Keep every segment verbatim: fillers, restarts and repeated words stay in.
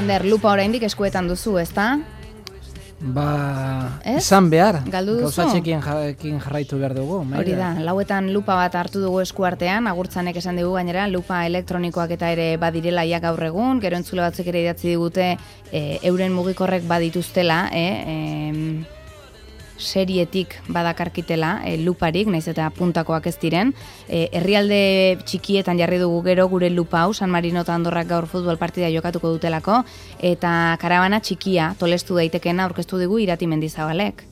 Lander, lupa oraindik eskuetan duzu, ezta? Ba, izan behar. Galdu duzu? Gauzatxekin jarraitu behar dugu. Hori da, lauetan lupa bat hartu dugu eskuartean, agurtzanek esan dugu gainera, lupa elektronikoak eta ere badirela ja gaur egun, gero entzule batzuk ere idatzi digute e, euren mugikorrek badituztela, e, e, serietik badakarkitela e, luparik, naiz eta puntakoak ez diren. E, herrialde txikietan jarri dugu gero gure lupa hau, San Marino eta Andorrak gaur futbol partida jokatuko dutelako, eta karabana txikia, tolestu daitekena aurkeztu digu Irati Mendizabalek.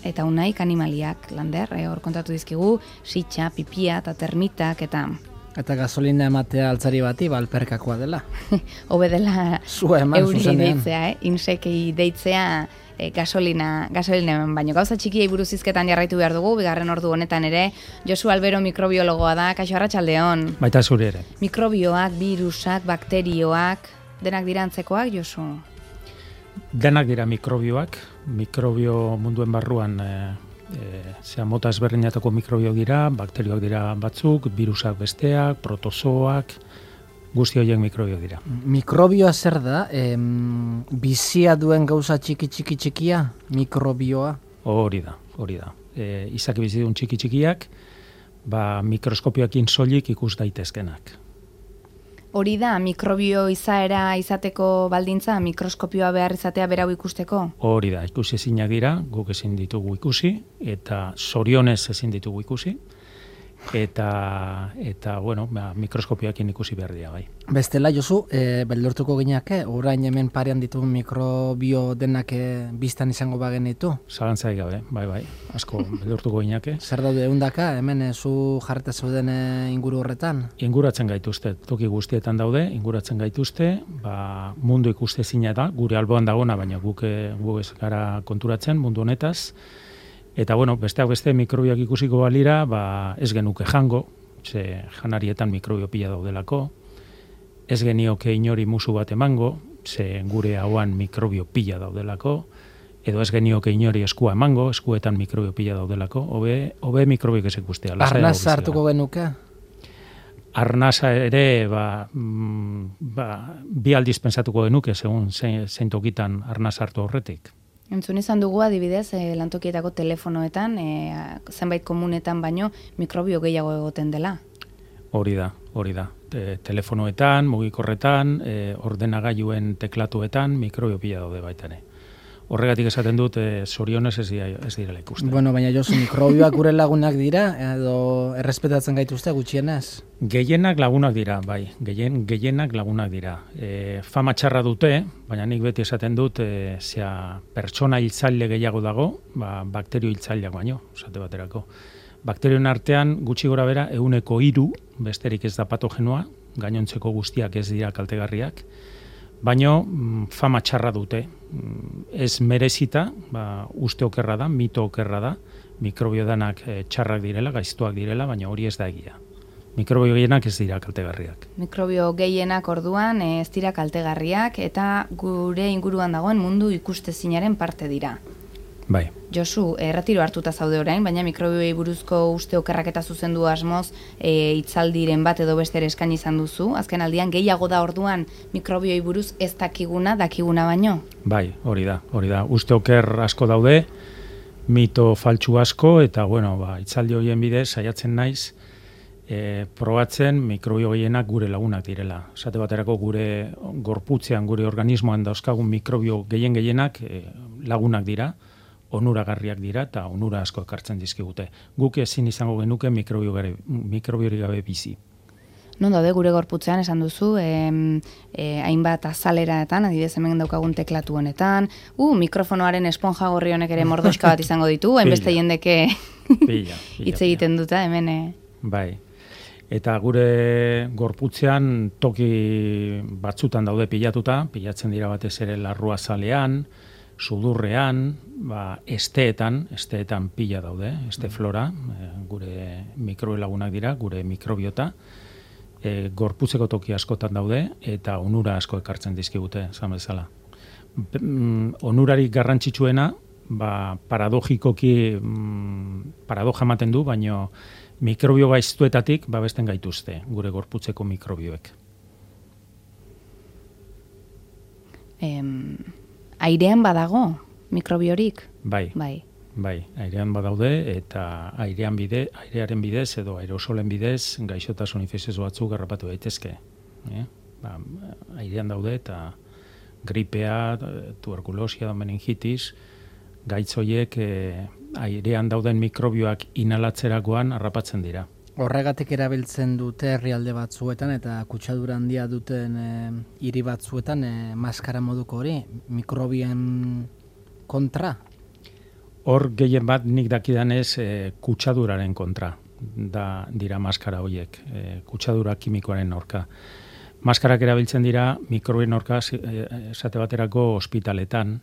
Eta unaik animaliak, Lander, e, hor kontatu dizkigu, sitxa, pipia eta termitak, eta... Eta gasolina ematea altzari bati, balperkakoa dela. Hobe dela euri zuzenean. deitzea, eh? Insekei deitzea, E, gasolina, gasolina baino. Gauza txikiei buruz hizketan jarraitu behar dugu, bigarren ordu honetan ere. Josu Albero mikrobiologoa da, kaixo arratsaldeon. Baita zuri ere. Mikrobioak, virusak, bakterioak, denak dira antzekoak, Josu? Denak dira mikrobioak, mikrobio munduen barruan e, e, zera mota ezberdinetako mikrobio dira, bakterioak dira batzuk, virusak besteak, protozoak, guzti horiek mikrobio dira. Mikrobioa zer da? Em, bizia duen gauza txiki txiki txikia? Mikrobioa? Hori da, hori da. E, izaki bizidun txiki txikiak, ba, mikroskopioekin soilik ikus daitezkenak. Hori da, mikrobio izaera izateko baldintza, mikroskopioa behar izatea berau ikusteko? Hori da, ikusi ezinak dira, guk ezin ditugu ikusi, eta zorionez ezin ditugu ikusi. Eta, eta bueno, ba, mikroskopioekin ikusi behar dira, bai. Bestela, Josu, e, beldurtuko gineake, orain hemen parean ditugun mikrobio denak e, biztan izango bagenitu? Zalantzai gabe, bai, bai, asko beldurtuko gineake. Zer daude eundaka, hemen e, zu jarreta zauden e, inguru horretan? Inguratzen gaituzte, toki guztietan daude, inguratzen gaituzte, ba, mundu ikuste zina da, gure alboan dagona, baina guk, guk ez gara konturatzen mundu honetaz. Eta, bueno, besteak beste mikrobioak ikusiko balira, ba, ez genuke jango, ze janarietan mikrobio pila daudelako, ez genioke inori musu bat emango, ze gure hauan mikrobio pila daudelako, edo ez genioke inori eskua emango, eskuetan mikrobio pila daudelako, hobe, hobe mikrobioak ez ikustea. Arnaza hartuko genuke? Arnaza ere, ba, ba, bi aldiz pensatuko genuke, segun zein, zein tokitan arnaza hartu horretik. Entzun izan dugu adibidez, e, lantokietako telefonoetan, e, zenbait komunetan baino, mikrobio gehiago egoten dela. Hori da, hori da. Te, telefonoetan, mugikorretan, e, ordenagailuen teklatuetan, mikrobio pila daude baita ere. Horregatik esaten dut, e, zorionez ez, ez direla ikusten. Bueno, baina Josu, mikrobioak gure lagunak dira, edo errespetatzen gaituzte gutxienez? Gehienak lagunak dira, bai. Gehien, gehienak lagunak dira. E, fama txarra dute, baina nik beti esaten dut, e, zea, pertsona hiltzaile gehiago dago, ba, bakterio hiltzaileak baino, esate baterako. Bakterioen artean, gutxi gora bera, ehuneko hiru, besterik ez da patogenoa, gainontzeko guztiak ez dira kaltegarriak, baino fama txarra dute. Ez merezita, ba, uste okerra da, mito okerra da, mikrobio danak e, txarrak direla, gaiztuak direla, baina hori ez da egia. Mikrobio gehienak ez dira kaltegarriak. Mikrobio gehienak orduan ez dira kaltegarriak eta gure inguruan dagoen mundu ikustezinaren parte dira. Bai. Josu, erretiro hartuta zaude orain, baina mikrobioei buruzko uste okerrak eta zuzendu asmoz e, itzaldiren bat edo beste ere eskaini izan duzu. Azken aldian gehiago da orduan mikrobioei buruz ez dakiguna, dakiguna baino? Bai, hori da, hori da. Uste oker asko daude, mito faltsu asko, eta bueno, ba, itzaldi horien bidez saiatzen naiz, e, probatzen mikrobio gehienak gure lagunak direla. Esate baterako gure gorputzean, gure organismoan dauzkagun mikrobio gehien gehienak e, lagunak dira, onuragarriak dira eta onura asko ekartzen dizkigute. Guk ezin izango genuke mikrobio mikrobiori gabe bizi. Non daude gure gorputzean esan duzu, e, e, hainbat azaleraetan, adibidez hemen daukagun teklatu honetan, uh, mikrofonoaren esponja gorri honek ere mordoxka bat izango ditu, hainbeste jendeke hitz egiten duta hemen. E... Bai. Eta gure gorputzean toki batzutan daude pilatuta, pilatzen dira batez ere larruazalean, sudurrean, ba, esteetan, esteetan pila daude, este flora, e, gure mikrobio lagunak dira, gure mikrobiota, e, gorputzeko toki askotan daude, eta onura asko ekartzen dizkigute, esan bezala. Onurarik garrantzitsuena, ba, paradogikoki mm, paradoja ematen du, baino mikrobio gaiztuetatik babesten gaituzte, gure gorputzeko mikrobioek. em, airean badago mikrobiorik? Bai. Bai. Bai, airean badaude eta airean bide, airearen bidez edo aerosolen bidez gaixotasun infekzioso batzuk harrapatu daitezke. Eh? Ba, airean daude eta gripea, tuberkulosia, meningitis, gaitz horiek eh, airean dauden mikrobioak inhalatzerakoan harrapatzen dira. Horregatik erabiltzen dute herrialde batzuetan eta kutsadura handia duten e, hiri batzuetan e, maskara moduko hori, mikrobien kontra? Hor gehien bat nik dakidanez e, kutsaduraren kontra da dira maskara horiek, e, kutsadura kimikoaren aurka. Maskarak erabiltzen dira mikrobien aurka esate baterako ospitaletan,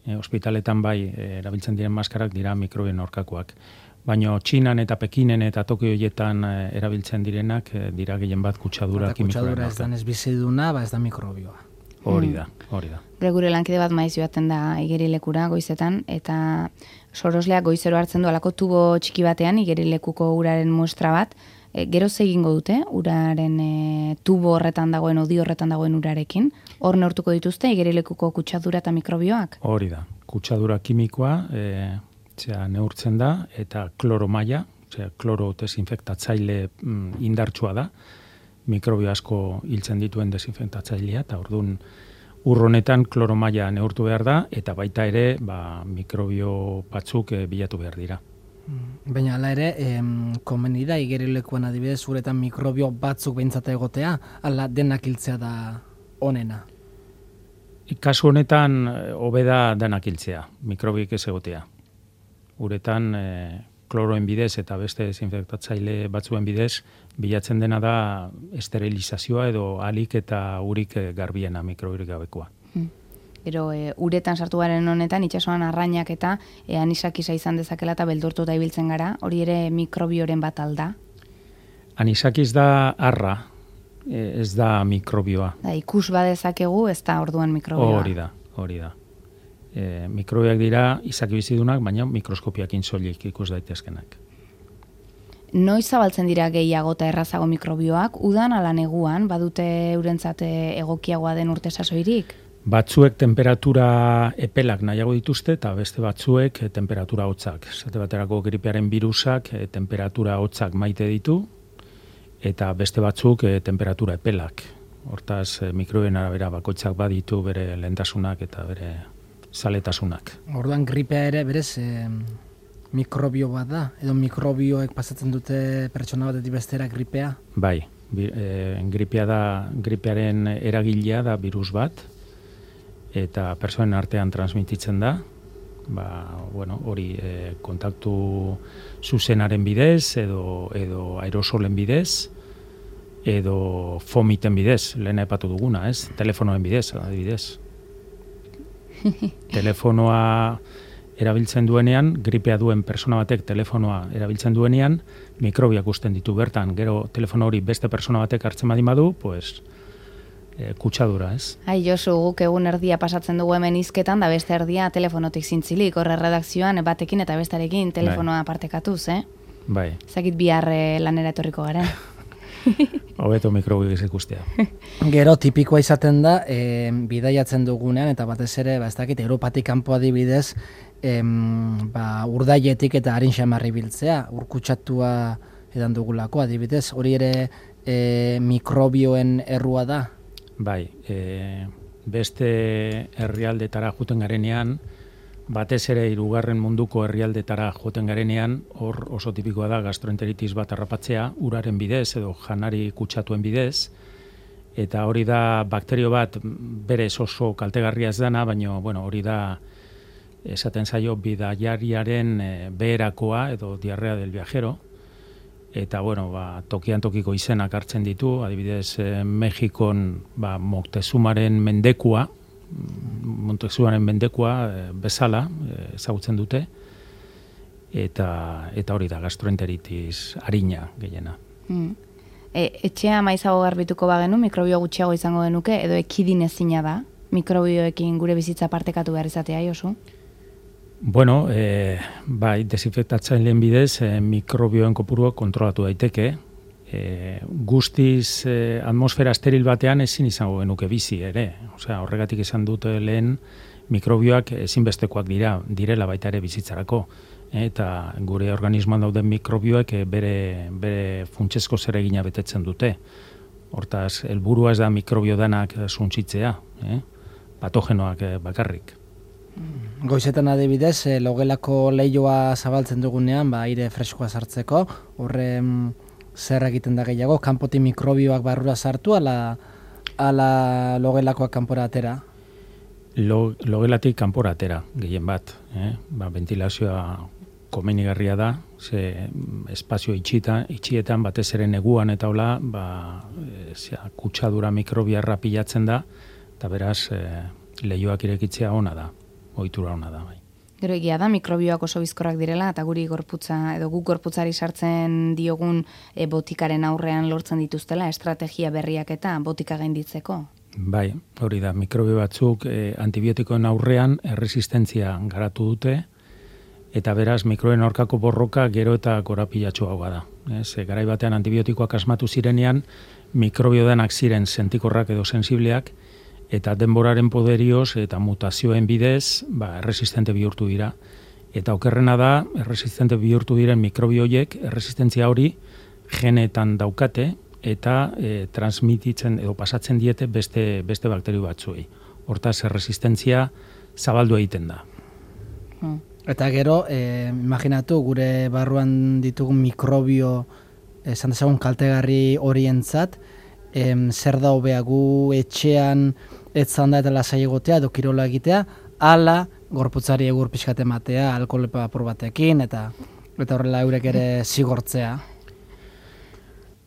e, ospitaletan bai e, erabiltzen diren maskarak dira mikrobien aurkakoak. Baina Txinan eta Pekinen eta Tokio horietan e, erabiltzen direnak e, dira gehien bat kutsadura kimikoaren aurka. Kutsadura ez da ez biziduna, ba ez da mikrobioa. Hori da, hori da. Gure gure lankide bat maiz joaten da igerilekura goizetan, eta sorosleak goizero hartzen du alako tubo txiki batean igerilekuko uraren muestra bat. E, gero egingo dute uraren e, tubo horretan dagoen, odi horretan dagoen urarekin. Hor neurtuko dituzte igerilekuko kutsadura eta mikrobioak? Hori da, kutsadura kimikoa e, zera, neurtzen da eta kloro maila, zera, kloro desinfektatzaile mm, indartsua da. Mikrobio asko hiltzen dituen desinfektatzailea eta ordun ur honetan kloro maila neurtu behar da eta baita ere ba, mikrobio batzuk e, bilatu behar dira. Baina hala ere, em, komeni da igerilekuan adibidez uretan mikrobio batzuk behintzat egotea, ala denak hiltzea da onena? Kasu honetan hobe da denak hiltzea, mikrobioik ez egotea. Uretan e, kloroen bidez eta beste desinfektatzaile batzuen bidez bilatzen dena da esterilizazioa edo alik eta urik garbiena mikrobiorik gabekoa. Hmm. Gero e, uretan sartu garen honetan itsasoan arrainak eta e, anisakisa izan dezakela eta beldurtuta ibiltzen gara, hori ere mikrobioren bat alda? Anisakiz da arra, e, ez da mikrobioa. Da, ikus badezakegu ez da orduan mikrobioa. Hori da, hori da. E, mikrobioak dira izaki bizidunak, baina mikroskopiakin soilik ikus daitezkenak. Noiz zabaltzen dira gehiago eta errazago mikrobioak, udan ala neguan, badute eurentzat egokiagoa den urte sasoirik? Batzuek temperatura epelak nahiago dituzte eta beste batzuek temperatura hotzak. Zate baterako gripearen virusak e, temperatura hotzak maite ditu eta beste batzuk e, temperatura epelak. Hortaz, e, mikrobioen arabera bakoitzak baditu bere lehentasunak eta bere zaletasunak. Orduan gripea ere berez e, mikrobio bat da, edo mikrobioek pasatzen dute pertsona batetik bestera gripea? Bai, bi, e, gripea da, gripearen eragilea da virus bat, eta pertsonen artean transmititzen da, ba, bueno, hori e, kontaktu zuzenaren bidez, edo, edo aerosolen bidez, edo fomiten bidez, lehen aipatu duguna, ez? Telefonoen bidez, adibidez. Telefonoa erabiltzen duenean, gripea duen persona batek telefonoa erabiltzen duenean, mikrobiak usten ditu bertan, gero telefono hori beste persona batek hartzen badin badu, pues, e, kutsadura, ez? Ai, Josu, guk egun erdia pasatzen dugu hemen hizketan, da beste erdia telefonotik zintzilik, horre redakzioan batekin eta bestarekin telefonoa partekatuz, eh? Bai. Zakit bihar lanera etorriko garen. Hobeto mikrobioak ikustea. Gero tipikoa izaten da, e, bidaiatzen dugunean, eta batez ere, ba, ez dakit, Europatik kanpo adibidez, em, ba, urdaietik eta harin xamarri biltzea, urkutsatua edan dugulako adibidez, hori ere e, mikrobioen errua da? Bai, e, beste herrialdetara juten garenean, batez ere hirugarren munduko herrialdetara joten garenean, hor oso tipikoa da gastroenteritis bat harrapatzea, uraren bidez edo janari kutsatuen bidez, eta hori da bakterio bat berez oso kaltegarria ez dana, baina bueno, hori da esaten zaio bidaiariaren e, beherakoa edo diarrea del viajero, eta bueno, ba, tokian tokiko izenak hartzen ditu, adibidez e, Mexikon ba, Moctezumaren mendekua, Montezumaren mendekua e, bezala e, ezagutzen dute, eta eta hori da gastroenteritis arina gehiena. Mm. E, etxea maizago garbituko bagenu, mikrobio gutxiago izango genuke, edo ekidin ezina da, mikrobioekin gure bizitza partekatu behar izatea, Josu? Bueno, e, bai, desinfektatzaileen bidez e, mikrobioen kopurua kontrolatu daiteke, e, guztiz e, atmosfera esteril batean ezin izango genuke bizi ere. Osea, horregatik esan dute lehen mikrobioak ezinbestekoak dira, direla baita ere bizitzarako. Eta gure organismoan dauden mikrobioek bere, bere funtsezko zeregina betetzen dute. Hortaz, helburua ez da mikrobio danak suntsitzea, eh? patogenoak bakarrik. Goizetan adibidez, e, logelako leihoa zabaltzen dugunean, ba, aire freskoa sartzeko, horre zer egiten da gehiago, kanpotik mikrobioak barrura sartu, ala, ala logelakoak kanpora atera? Lo, logelatik kanpora atera, gehien bat. Eh? Ba, ventilazioa komenigarria da, ze espazio itxita, itxietan batez ere neguan eta hola, ba, e, zera, kutsadura mikrobiarra pilatzen da, eta beraz, e, leihoak irekitzea ona da, ohitura ona da. Bai. Gero egia da, mikrobioak oso bizkorrak direla, eta guri gorputza, edo guk gorputzari sartzen diogun e, botikaren aurrean lortzen dituztela, estrategia berriak eta botika gainditzeko. Bai, hori da, mikrobio batzuk e, antibiotikoen aurrean erresistentzia garatu dute, eta beraz mikrobioen aurkako borroka gero eta korapilatsuagoa da. Ez, e, garai batean antibiotikoak asmatu zirenean, mikrobio denak ziren sentikorrak edo sensibleak, eta denboraren poderioz eta mutazioen bidez, ba, erresistente bihurtu dira. Eta okerrena da, erresistente bihurtu diren mikrobioiek, erresistentzia hori genetan daukate, eta e, transmititzen edo pasatzen diete beste, beste bakterio batzuei. Hortaz, erresistentzia zabaldu egiten da. Hmm. Eta gero, eh, imaginatu, gure barruan ditugun mikrobio, esan dezagun kaltegarri horientzat, em, zer da hobea gu etxean etzan da eta lasai egotea, edo kirola egitea, ala gorputzari egur pixkat ematea, alkohol apur batekin, eta eta horrela eurek ere zigortzea.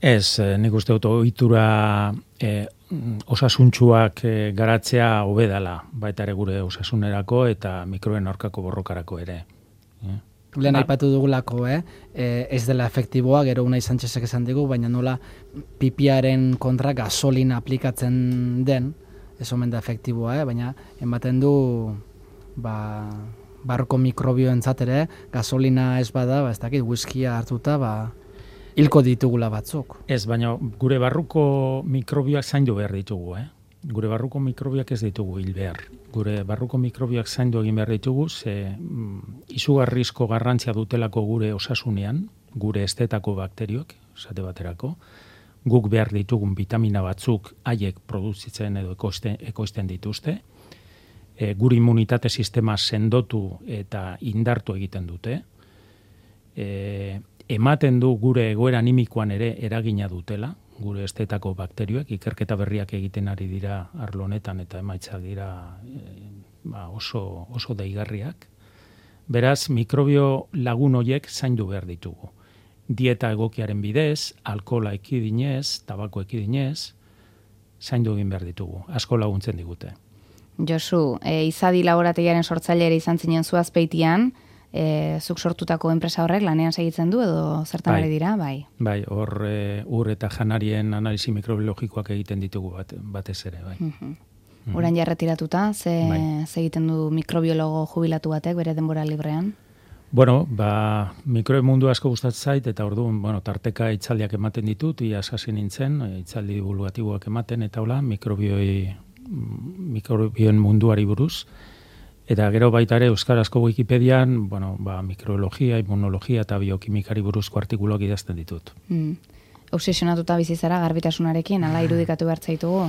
Ez, nik uste dut ohitura e, osasuntsuak e, garatzea hobe dela, baita ere gure osasunerako eta mikroben aurkako borrokarako ere. E? Lehen aipatu dugulako, eh? E, ez dela efektiboa, gero Unai Sanchezek esan digu, baina nola pipiaren kontra gasolina aplikatzen den, ez omen da efektiboa, eh? Baina ematen du ba, barruko mikrobioentzat ere, gasolina ez bada, ba, ez dakit, whiskia hartuta, ba, hilko ditugula batzuk. Ez, baina gure barruko mikrobioak zaindu behar ditugu, eh? Gure barruko mikrobioak ez ditugu hil behar. Gure barruko mikrobioak zaindu egin behar ditugu, ze mm, izugarrizko garrantzia dutelako gure osasunean, gure estetako bakterioak, esate baterako, guk behar ditugun vitamina batzuk haiek produzitzen edo ekoizten, ekoizten dituzte, e, gure immunitate sistema sendotu eta indartu egiten dute, e, ematen du gure egoera animikoan ere eragina dutela, gure estetako bakterioek, ikerketa berriak egiten ari dira arlo honetan eta emaitzak dira e, ba, oso, oso deigarriak. Beraz, mikrobio lagun horiek zaindu behar ditugu. Dieta egokiaren bidez, alkohola ekidinez, tabako ekidinez, zaindu egin behar ditugu. Asko laguntzen digute. Josu, e, izadi laborategiaren sortzaileare izan zinen zu Azpeitian, E, zuk sortutako enpresa horrek lanean segitzen du edo zertan ari dira, bai? Bai, hor e, ur eta janarien analisi mikrobiologikoak egiten ditugu bat, batez ere, bai. Uh-huh. Uh-huh. Orain ja retiratuta, ze, bai. ze egiten du mikrobiologo jubilatu batek bere denbora librean? Bueno, ba, mikrobio mundu asko gustatzen zait, eta orduan, bueno, tarteka hitzaldiak ematen ditut, iaz hasi nintzen, hitzaldi divulgatiboak ematen, eta hola, mikrobioi, mikrobioen munduari buruz. Eta gero baita ere euskarazko Wikipedian, bueno, ba, mikrobiologia, immunologia eta biokimikari buruzko artikuluak idazten ditut. Mm. Obsesionatuta bizi zara garbitasunarekin, ala irudikatu behar zaitugu?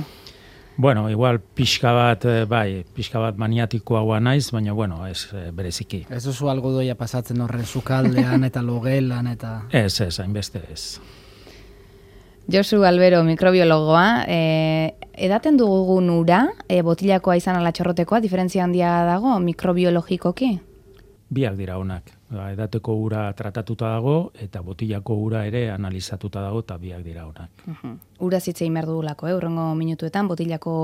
Bueno, igual pixka bat, bai, pixka bat maniatikoa naiz, baina bueno, ez bereziki. Ez duzu algodoia pasatzen horren sukaldean eta logelan eta... Ez, ez, hainbeste ez. Josu Albero, mikrobiologoa, e, edaten dugun ura, e, botilakoa izan ala txorrotekoa, diferentzia handia dago mikrobiologikoki? Biak dira honak. Ba, edateko ura tratatuta dago, eta botilako ura ere analizatuta dago, eta biak dira honak. Uh-huh. Ura zitzein behar dugulako, eh? Urrengo minutuetan botilako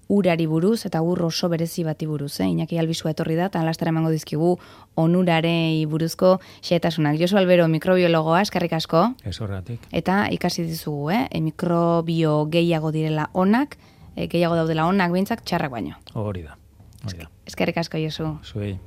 urari buruz, eta ur oso berezi bati buruz. Eh? Iñaki Albizua etorri da, eta alastara emango dizkigu onurarei buruzko xehetasunak. Josu Albero, mikrobiologoa, eskerrik asko. Ez horretik. Eta ikasi dizugu, eh? E, mikrobio gehiago direla onak, e, gehiago daudela onak behintzak txarrak baino. Hori da. Hori da. Eskerrik asko, Josu. Zuei.